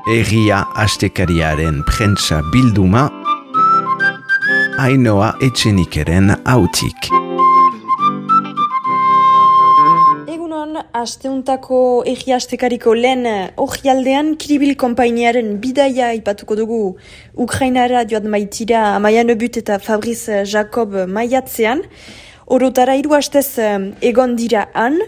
Egia astekariaren prentsa bilduma, Ainhoa Etxenikeren hautik. Egunon, asteuntako Egia astekariko lehen orrialdean Kiribil konpainiaren bidaia ipatuko dugu Ukrainara joat maitira Amaia Nebut eta Fabrice Jacob maiatzean. Orotara 3 astez egon dira han.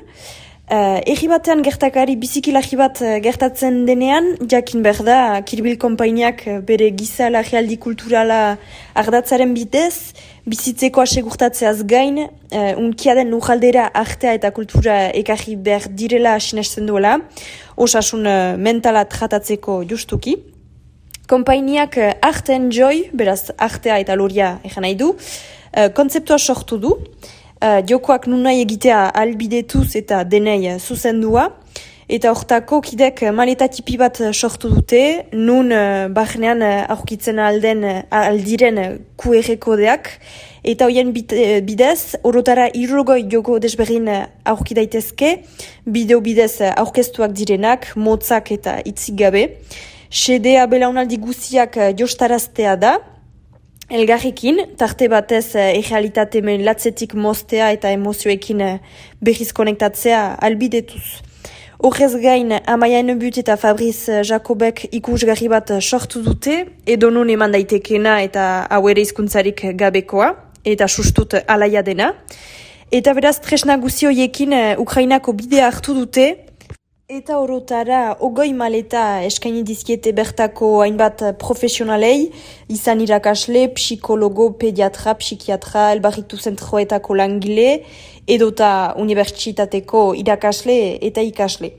Egi batean gertakari bizikilagi bat gertatzen denean, jakin behar da, Kiribil konpainiak bere giza lagialdi kulturala ardatzaren bidez, bizitzeko asegurtatzeaz gain, unkiaden lujaldera artea eta kultura ekarri behar direla sinesten duela, osasun mentala tratatzeko justuki. Konpainiak Art and Joy, beraz artea eta loria egan nahi du, kontzeptua sortu du. Jokoak nun nahi egitea albidetuz eta denei zuzendua, eta hortako kidek maleta tipi bat sortu dute, nun barnean aurkitzen aldiren QR kodeak, eta hoien bidez, orotara 60 joko desberdin aurki daitezke, bideo bidez aurkeztuak direnak, motzak eta hitzik gabe. Xedea belaunaldi guziak jostaraztea da, elgarrekin, tarte batez errealitate latzetik moztea eta emozioekin berriz konektatzea albidetuz. Horrez gain, Amaia Nebut eta Fabrice Jacobek ikusgarri bat sortu dute, edo non eman daitekena eta hau ere hizkuntzarik gabekoa, eta sustut alaia dena. Eta beraz, tresna guzioiekin Ukrainako bidea hartu dute, eta orotara 20 maleta eskaini dizkiete bertako hainbat profesionalei, izan irakasle, psikologo, pediatra, psikiatra, elbarritu zentroetako langile, edota unibertsitateko irakasle eta ikasle.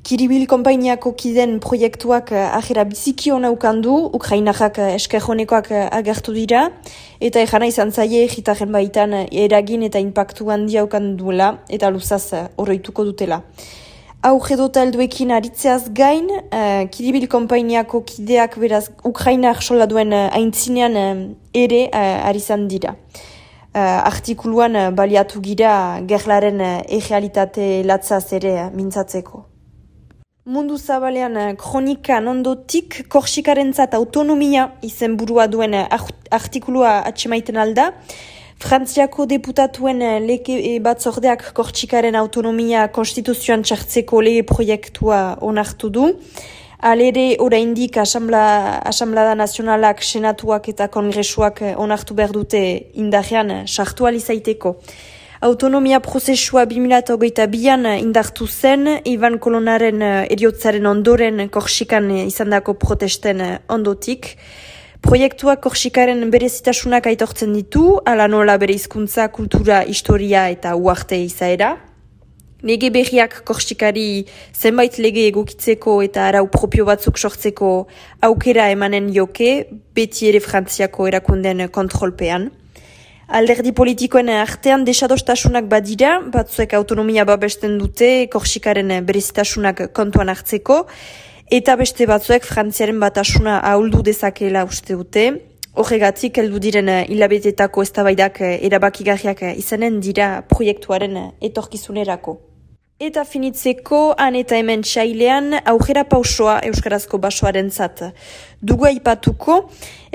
Kiribil konpainiako kiden proiektuak ajera biziki hona ukandu, Ukrainarrak eskerjonekoak agertu dira, eta ejana izan zaie egitaren baitan eragin eta impactu handia ukanduela, eta luzaz oroituko dutela. Aurredota helduekin aritzeaz gain, Kiribil konpainiako kideak beraz Ukrainar soldaduen aintzinean ere arizan dira. Artikuluan baliatu gira gerlaren errealitate latzaz ere mintzatzeko. Mundu zabalean kronikan ondotik Korsikarentzat autonomia izenburua duen artikulua atsemaiten alda, Frantziako deputatuen lege batzordeak Korsikaren autonomia konstituzioan txartzeko lege proiektua onartu du. Alere oraindik Asamblada Nazionalak, Senatuak eta Kongresuak onartu behar dute indarrean sartu alizaiteko. Autonomia prozesua 2022an indartu zen, Ivan Kolonaren eriotzaren ondoren Korsikan izandako protesten ondotik. Proiektuak Korsikaren berezitasunak aitortzen ditu, ala nola bere hizkuntza, kultura, historia eta uarte izaera. Lege berriak Korsikari zenbait lege egokitzeko eta arau propio batzuk sortzeko aukera emanen joke, beti ere Frantziako erakunden kontrolpean. Alderdi politikoen artean desadostasunak badira, batzuek autonomia babesten dute Korsikaren berezitasunak kontuan hartzeko, eta beste batzuek Frantziaren batasuna ahuldu dezakela uste dute. Horregatik heldu diren hilabetetako eztabaidak erabakigarriak izanen dira proiektuaren etorkizunerako. Eta finitzeko, han eta hemen txailean aurrera pausoa euskarazko basoarentzat. Dugu aipatuko,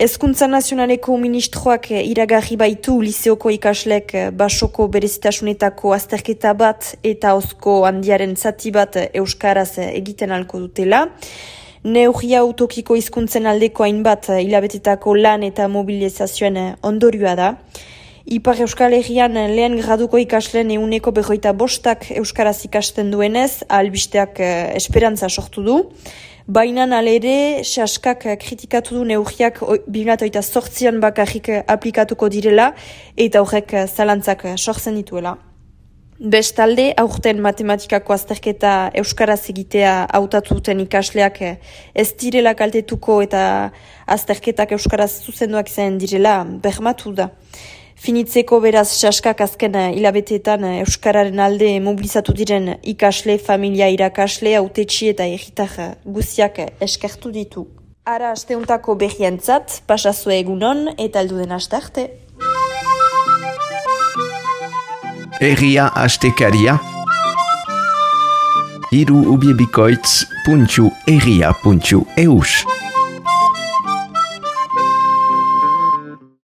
Hezkuntza Nazionaleko ministroak iragarri baitu liseoko ikaslek basoko berezitasunetako azterketa bat eta ozko handiaren zati bat euskaraz egiten alko dutela. Neurria utokiko hizkuntzen aldeko hainbat hilabetetako lan eta mobilizazioen ondorioa da. Ipar Euskal Herrian lehen graduko ikasleen 45% euskaraz ikasten duenez, albisteak esperantza sortu du. Baina alere, saskak kritikatu du neurriak 2008an bakarrik aplikatuko direla eta horrek zalantzak sortzen dituela. Bestalde, aurten matematikako azterketa euskaraz egitea hautatu duten ikasleak ez direla kaltetuko eta azterketak euskaraz zuzenduak izan direla bermatu da. Finitzeko beraz saskak azken hilabeteetan euskararen alde mobilizatu diren ikasle, familia irakasle, hautetsi eta herritar guziak eskertu ditu. Ara asteuntako berrientzat, pasazue egunon eta heldu den aste arte. Egia astekaria hiruubiebikoitz.egia.eus.